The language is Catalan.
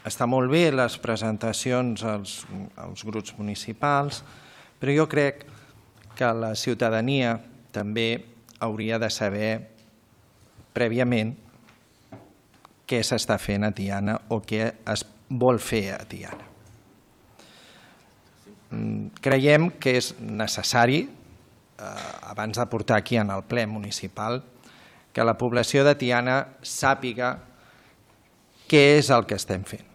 Està molt bé les presentacions als grups municipals, però jo crec que la ciutadania també hauria de saber prèviament què s'està fent a Tiana o què es vol fer a Tiana. Creiem que és necessari, abans de portar aquí en el ple municipal, que la població de Tiana sàpiga què és el que estem fent.